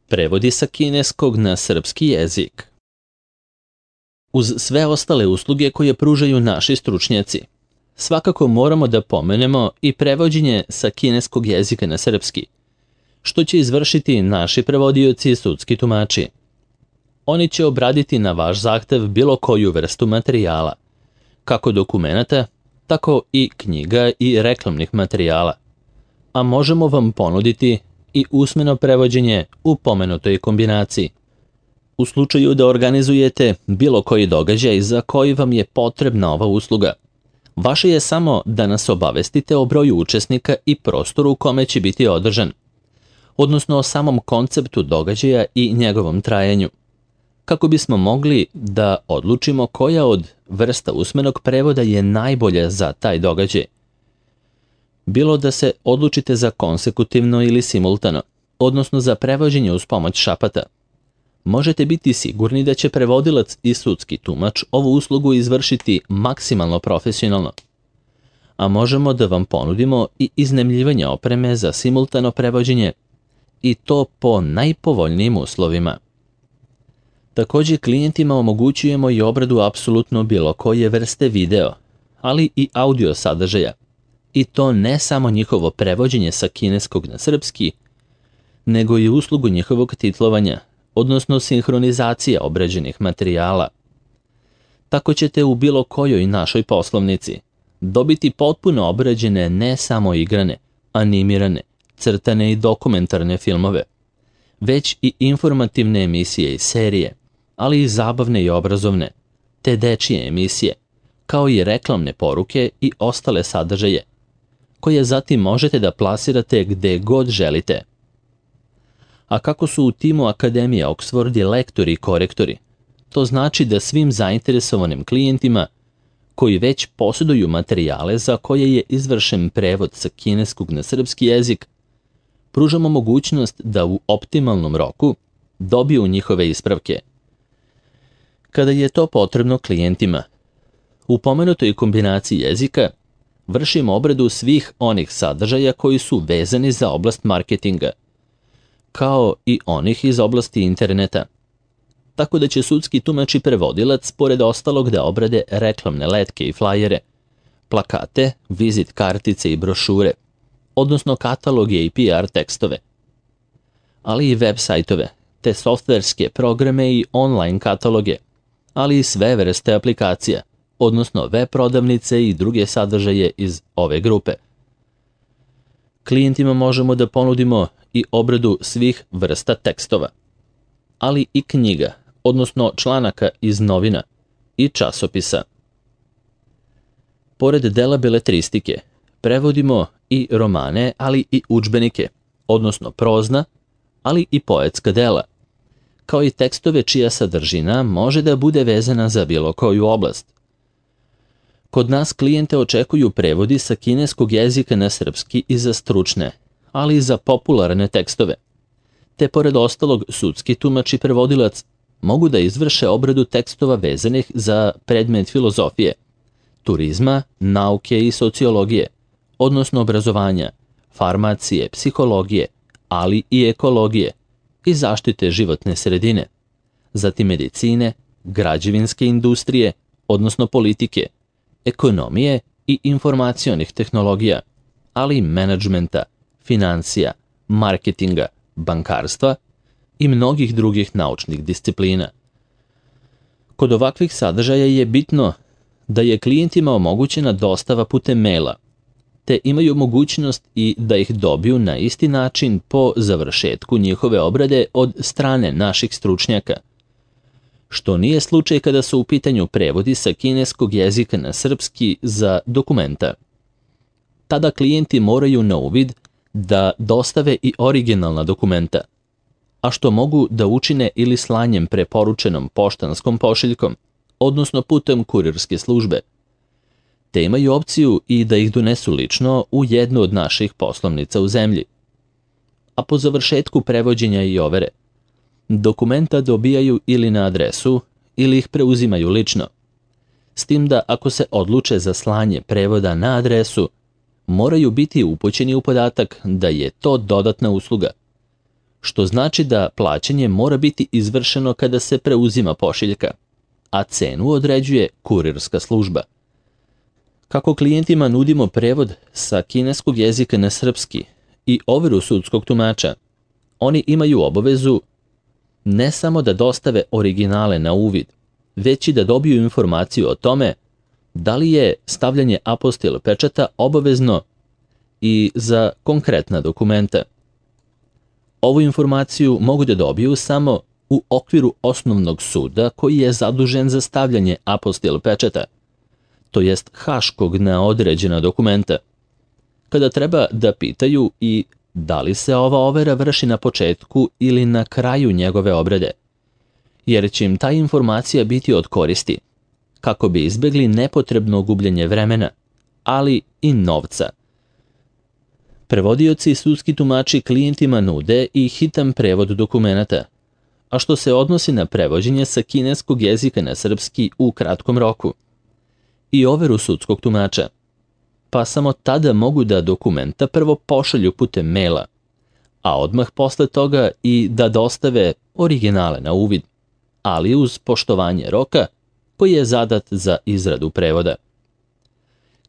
Prevodi sa kineskog na srpski jezik. Uz sve ostale usluge koje pružaju naši stručnjaci, svakako moramo da pomenemo i prevođenje sa kineskog jezika na srpski, što će izvršiti naši prevodioci i sudski tumači. Oni će obraditi na vaš zahtev bilo koju vrstu materijala, kako dokumenata, tako i knjiga i reklamnih materijala, a možemo vam ponuditi i usmeno prevođenje u pomenutoj kombinaciji. U slučaju da organizujete bilo koji događaj za koji vam je potrebna ova usluga, vaše je samo da nas obavestite o broju učesnika i prostoru u kome će biti održan, odnosno o samom konceptu događaja i njegovom trajanju, kako bismo mogli da odlučimo koja od vrsta usmenog prevoda je najbolja za taj događaj. Bilo da se odlučite za konsekutivno ili simultano, odnosno za prevođenje uz pomoć šapata, možete biti sigurni da će prevodilac i sudski tumač ovu uslugu izvršiti maksimalno profesionalno, a možemo da vam ponudimo i iznajmljivanje opreme za simultano prevođenje i to po najpovoljnijim uslovima. Također klijentima omogućujemo i obradu apsolutno bilo koje vrste video, ali i audio sadržaja, i to ne samo njihovo prevođenje sa kineskog na srpski, nego i uslugu njihovog titlovanja, odnosno sinhronizacija obrađenih materijala. Tako ćete u bilo kojoj našoj poslovnici dobiti potpuno obrađene ne samo igrane, animirane, crtane i dokumentarne filmove, već i informativne emisije i serije, ali i zabavne i obrazovne, te dečije emisije, kao i reklamne poruke i ostale sadržaje, koje zatim možete da plasirate gde god želite. A kako su u timu Akademije Oxford i lektori i korektori, to znači da svim zainteresovanim klijentima koji već posjeduju materijale za koje je izvršen prevod sa kineskog na srpski jezik, pružamo mogućnost da u optimalnom roku dobiju njihove ispravke. Kada je to potrebno klijentima, u pomenutoj kombinaciji jezika vršimo obradu svih onih sadržaja koji su vezani za oblast marketinga, kao i onih iz oblasti interneta. Tako da će sudski tumač i prevodilac, pored ostalog, da obrade reklamne letke i flajere, plakate, vizit kartice i brošure, odnosno kataloge i PR tekstove, ali i web sajtove, te softverske programe i online kataloge, ali i sve vrste aplikacija, odnosno web prodavnice i druge sadržaje iz ove grupe. Klijentima možemo da ponudimo i obradu svih vrsta tekstova, ali i knjiga, odnosno članaka iz novina i časopisa. Pored dela beletristike, prevodimo i romane, ali i udžbenike, odnosno prozna, ali i poetska dela, kao i tekstove čija sadržina može da bude vezana za bilo koju oblast. Kod nas klijente očekuju prevodi sa kineskog jezika na srpski i za stručne, ali i za popularne tekstove, te pored ostalog sudski tumač i prevodilac mogu da izvrše obradu tekstova vezanih za predmet filozofije, turizma, nauke i sociologije, odnosno obrazovanja, farmacije, psihologije, ali i ekologije i zaštite životne sredine, zatim medicine, građevinske industrije, odnosno politike, ekonomije i informacionih tehnologija, ali i menadžmenta, financija, marketinga, bankarstva i mnogih drugih naučnih disciplina. Kod ovakvih sadržaja je bitno da je klijentima omogućena dostava putem maila, te imaju mogućnost i da ih dobiju na isti način po završetku njihove obrade od strane naših stručnjaka, što nije slučaj kada su u pitanju prevodi sa kineskog jezika na srpski za dokumenta. Tada klijenti moraju na uvid da dostave i originalna dokumenta, a što mogu da učine ili slanjem preporučenom poštanskom pošiljkom, odnosno putem kurirske službe, te imaju opciju i da ih donesu lično u jednu od naših poslovnica u zemlji. A po završetku prevođenja i overe, dokumenta dobijaju ili na adresu ili ih preuzimaju lično, s tim da ako se odluče za slanje prevoda na adresu, moraju biti upućeni u podatak da je to dodatna usluga, što znači da plaćanje mora biti izvršeno kada se preuzima pošiljka, a cenu određuje kurirska služba. Kako klijentima nudimo prevod sa kineskog jezika na srpski i overu sudskog tumača, oni imaju obavezu ne samo da dostave originale na uvid, već i da dobiju informaciju o tome da li je stavljanje apostil pečata obavezno i za konkretna dokumenta. Ovu informaciju mogu da dobiju samo u okviru osnovnog suda koji je zadužen za stavljanje apostil pečata, to jest haškog na određena dokumenta, kada treba da pitaju i da li se ova overa vrši na početku ili na kraju njegove obrade, jer će im ta informacija biti od koristi, kako bi izbjegli nepotrebno gubljenje vremena, ali i novca. Prevodioci i sudski tumači klijentima nude i hitan prevod dokumenata, a što se odnosi na prevođenje sa kineskog jezika na srpski u kratkom roku, i overu sudskog tumača, pa samo tada mogu da dokumenta prvo pošalju putem maila, a odmah posle toga i da dostave originale na uvid, ali uz poštovanje roka koji je zadat za izradu prevoda.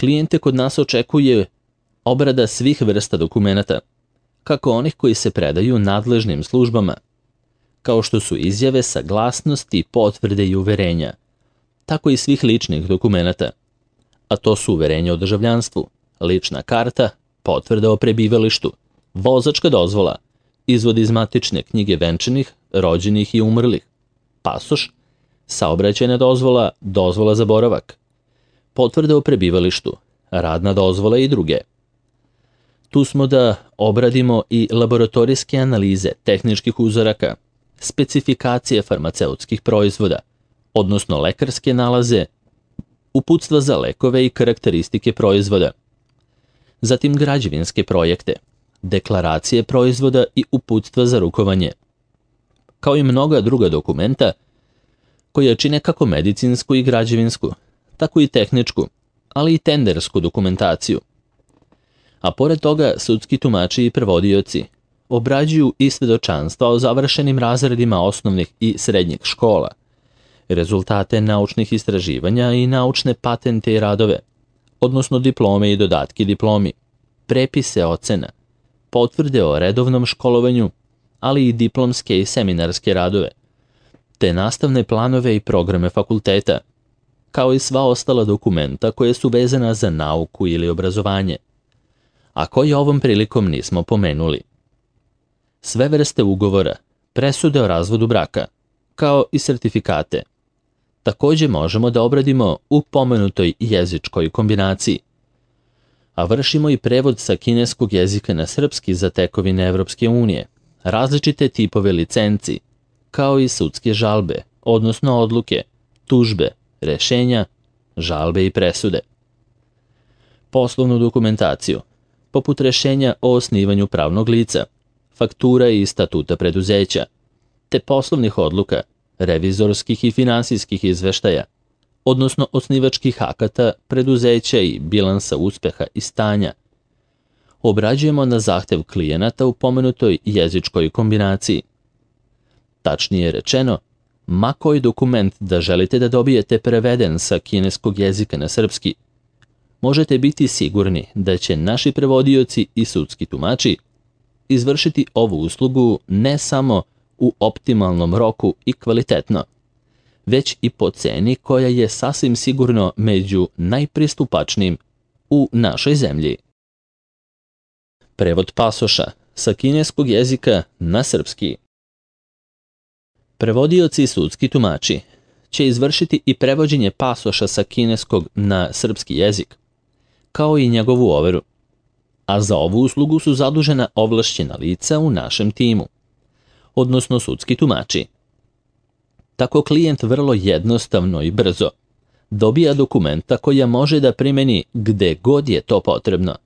Klijente kod nas očekuje obrada svih vrsta dokumenata, kako onih koji se predaju nadležnim službama, kao što su izjave, saglasnosti, potvrde i uverenja, tako i svih ličnih dokumenata, a to su uverenje o državljanstvu, lična karta, potvrda o prebivalištu, vozačka dozvola, izvod iz matične knjige venčanih, rođenih i umrlih, pasoš, saobraćajna dozvola, dozvola za boravak, potvrda o prebivalištu, radna dozvola i druge. Tu smo da obradimo i laboratorijske analize tehničkih uzoraka, specifikacije farmaceutskih proizvoda, odnosno lekarske nalaze, uputstva za lekove i karakteristike proizvoda, zatim građevinske projekte, deklaracije proizvoda i uputstva za rukovanje, kao i mnoga druga dokumenta koja čine kako medicinsku i građevinsku, tako i tehničku, ali i tendersku dokumentaciju. A pored toga sudski tumači i prevodioci obrađuju i svedočanstva o završenim razredima osnovnih i srednjih škola, rezultate naučnih istraživanja i naučne patente i radove, odnosno diplome i dodatki diplomi, prepise ocena, potvrde o redovnom školovanju, ali i diplomske i seminarske radove, te nastavne planove i programe fakulteta, kao i sva ostala dokumenta koje su vezana za nauku ili obrazovanje, a koje ovom prilikom nismo pomenuli. Sve vrste ugovora, presude o razvodu braka, kao i sertifikate, također možemo da obradimo u pomenutoj jezičkoj kombinaciji, a vršimo i prevod sa kineskog jezika na srpski za tekovine Evropske unije, različite tipove licenci, kao i sudske žalbe, odnosno odluke, tužbe, rešenja, žalbe i presude. Poslovnu dokumentaciju, poput rešenja o osnivanju pravnog lica, faktura i statuta preduzeća, te poslovnih odluka, revizorskih i finansijskih izveštaja, odnosno osnivačkih akata preduzeća i bilansa uspeha i stanja, obrađujemo na zahtev klijenata u pomenutoj jezičkoj kombinaciji. Tačnije rečeno, ma koji dokument da želite da dobijete preveden sa kineskog jezika na srpski, možete biti sigurni da će naši prevodioci i sudski tumači izvršiti ovu uslugu ne samo u optimalnom roku i kvalitetno, već i po ceni koja je sasvim sigurno među najpristupačnijim u našoj zemlji. Prevod pasoša sa kineskog jezika na srpski. Prevodioci i sudski tumači će izvršiti i prevođenje pasoša sa kineskog na srpski jezik, kao i njegovu overu, a za ovu uslugu su zadužena ovlašćena lica u našem timu, odnosno sudski tumači. Tako klijent vrlo jednostavno i brzo dobija dokumenta koja može da primeni gde god je to potrebno.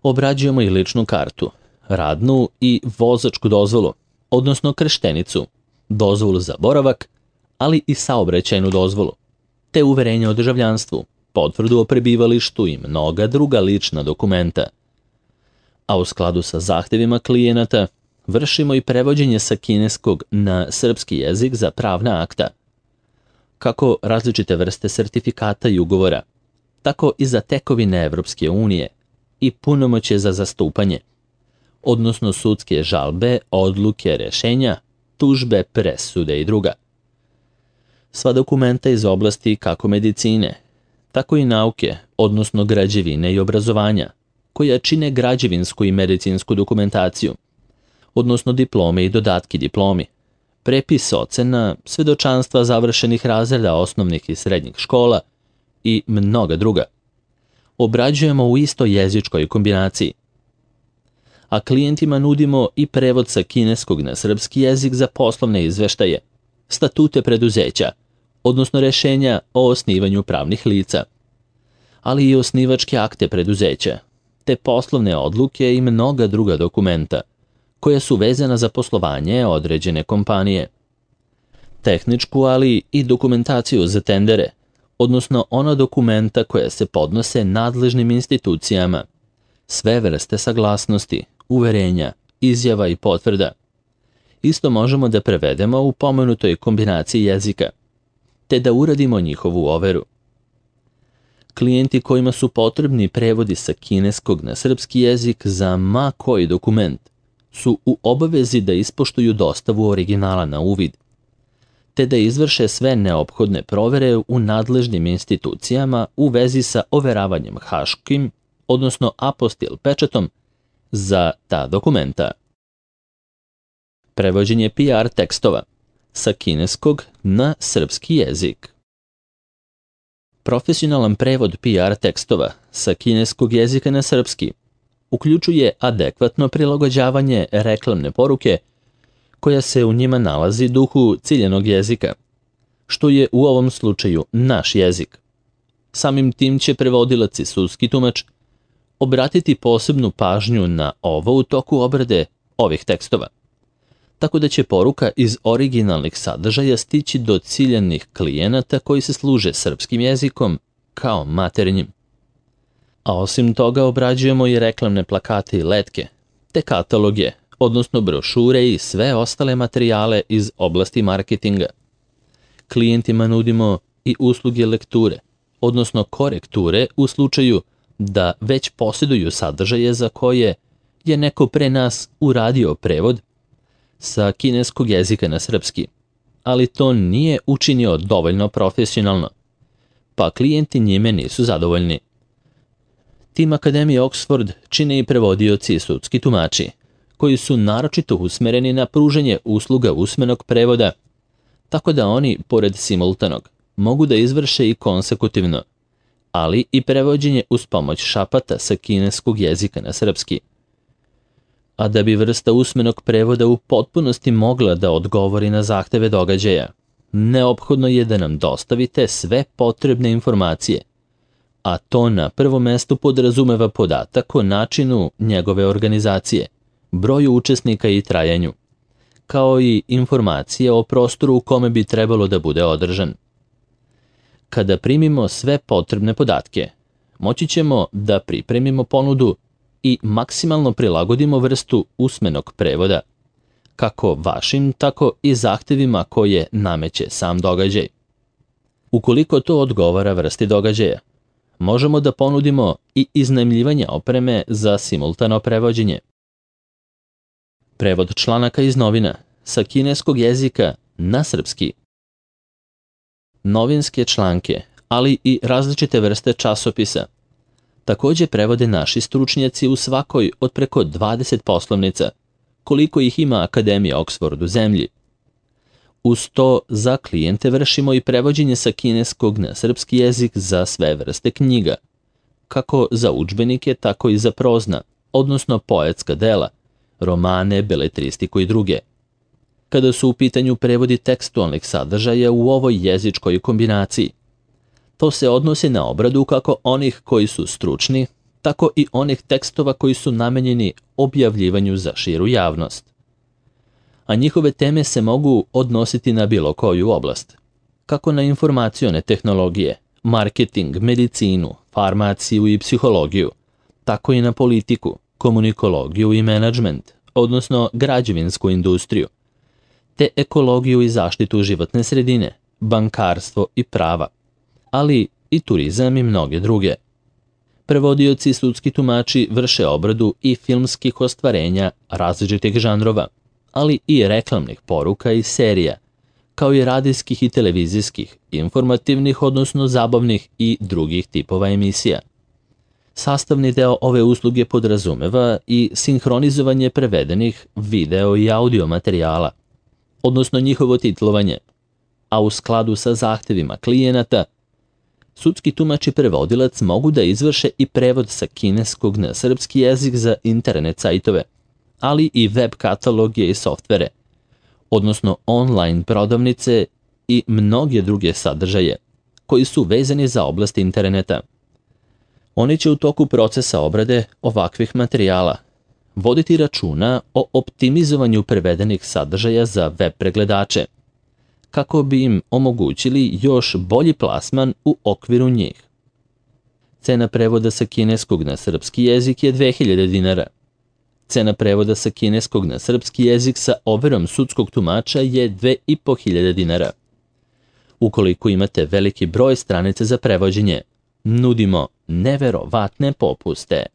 Obrađujemo i ličnu kartu, radnu i vozačku dozvolu, odnosno krštenicu, dozvolu za boravak, ali i saobraćajnu dozvolu, te uverenje o državljanstvu, potvrdu o prebivalištu i mnoga druga lična dokumenta. A u skladu sa zahtevima klijenata, vršimo i prevođenje sa kineskog na srpski jezik za pravna akta, kako različite vrste sertifikata i ugovora, tako i za tekovine Evropske unije i punomoćje za zastupanje, odnosno sudske žalbe, odluke, rešenja, tužbe, presude i druga. Sva dokumenta iz oblasti kako medicine, tako i nauke, odnosno građevine i obrazovanja, koja čine građevinsku i medicinsku dokumentaciju, odnosno diplome i dodatki diplomi, prepis ocena, svedočanstva završenih razreda osnovnih i srednjih škola i mnoga druga. Obrađujemo u istoj jezičkoj kombinaciji. A klijentima nudimo i prevod sa kineskog na srpski jezik za poslovne izveštaje, statute preduzeća, odnosno rešenja o osnivanju pravnih lica, ali i osnivačke akte preduzeća, te poslovne odluke i mnoga druga dokumenta, koja su vezana za poslovanje određene kompanije. Tehničku, ali i dokumentaciju za tendere, odnosno ona dokumenta koja se podnose nadležnim institucijama, sve vrste saglasnosti, uverenja, izjava i potvrda. Isto možemo da prevedemo u pomenutoj kombinaciji jezika, te da uradimo njihovu overu. Klijenti kojima su potrebni prevodi sa kineskog na srpski jezik za ma koji dokument su u obavezi da ispoštuju dostavu originala na uvid, te da izvrše sve neophodne provere u nadležnim institucijama u vezi sa overavanjem haškim, odnosno apostil pečatom za ta dokumenta. Prevođenje PR tekstova sa kineskog na srpski jezik. Profesionalan prevod PR tekstova sa kineskog jezika na srpski uključuje adekvatno prilagođavanje reklamne poruke koja se u njima nalazi duhu ciljanog jezika, što je u ovom slučaju naš jezik. Samim tim će prevodilac i sudski tumač obratiti posebnu pažnju na ovo u toku obrade ovih tekstova, tako da će poruka iz originalnih sadržaja stići do ciljanih klijenata koji se služe srpskim jezikom kao maternjim. A osim toga obrađujemo i reklamne plakate i letke, te kataloge, odnosno brošure i sve ostale materijale iz oblasti marketinga. Klijentima nudimo i usluge lekture, odnosno korekture u slučaju da već posjeduju sadržaje za koje je neko pre nas uradio prevod sa kineskog jezika na srpski, ali to nije učinio dovoljno profesionalno, pa klijenti njime nisu zadovoljni. Tim Akademije Oxford čine i prevodioci i sudski tumači, koji su naročito usmereni na pružanje usluga usmenog prevoda, tako da oni, pored simultanog, mogu da izvrše i konsekutivno, ali i prevođenje uz pomoć šapata sa kineskog jezika na srpski. A da bi vrsta usmenog prevoda u potpunosti mogla da odgovori na zahteve događaja, neophodno je da nam dostavite sve potrebne informacije, a to na prvom mestu podrazumeva podatak o načinu njegove organizacije, broju učesnika i trajanju, kao i informacije o prostoru u kome bi trebalo da bude održan. Kada primimo sve potrebne podatke, moći ćemo da pripremimo ponudu i maksimalno prilagodimo vrstu usmenog prevoda, kako vašim, tako i zahtevima koje nameće sam događaj. Ukoliko to odgovara vrsti događaja, možemo da ponudimo i iznajmljivanje opreme za simultano prevođenje. Prevod članaka iz novina sa kineskog jezika na srpski. Novinske članke, ali i različite vrste časopisa, također prevode naši stručnjaci u svakoj od preko 20 poslovnica, koliko ih ima Akademija Oxford u zemlji. Uz to za klijente vršimo i prevođenje sa kineskog na srpski jezik za sve vrste knjiga, kako za udžbenike, tako i za prozna, odnosno poetska dela, romane, beletristiku i druge. Kada su u pitanju prevodi tekstualnih sadržaja u ovoj jezičkoj kombinaciji, to se odnosi na obradu kako onih koji su stručni, tako i onih tekstova koji su namenjeni objavljivanju za širu javnost. A njihove teme se mogu odnositi na bilo koju oblast, kako na informacione tehnologije, marketing, medicinu, farmaciju i psihologiju, tako i na politiku, komunikologiju i menadžment, odnosno građevinsku industriju, te ekologiju i zaštitu životne sredine, bankarstvo i prava, ali i turizam i mnoge druge. Prevodioci i sudski tumači vrše obradu i filmskih ostvarenja različitih žanrova, ali i reklamnih poruka i serija, kao i radijskih i televizijskih, informativnih, odnosno zabavnih i drugih tipova emisija. Sastavni deo ove usluge podrazumeva i sinhronizovanje prevedenih video i audio materijala, odnosno njihovo titlovanje, a u skladu sa zahtevima klijenata, sudski tumač i prevodilac mogu da izvrše i prevod sa kineskog na srpski jezik za internet sajtove, ali i web kataloge i softvere, odnosno online prodavnice i mnoge druge sadržaje koji su vezani za oblast interneta. Oni će u toku procesa obrade ovakvih materijala voditi računa o optimizovanju prevedenih sadržaja za web pregledače, kako bi im omogućili još bolji plasman u okviru njih. Cena prevoda sa kineskog na srpski jezik je 2000 dinara. Cena prevoda sa kineskog na srpski jezik sa overom sudskog tumača je 2500 dinara. Ukoliko imate veliki broj stranica za prevođenje, nudimo neverovatne popuste.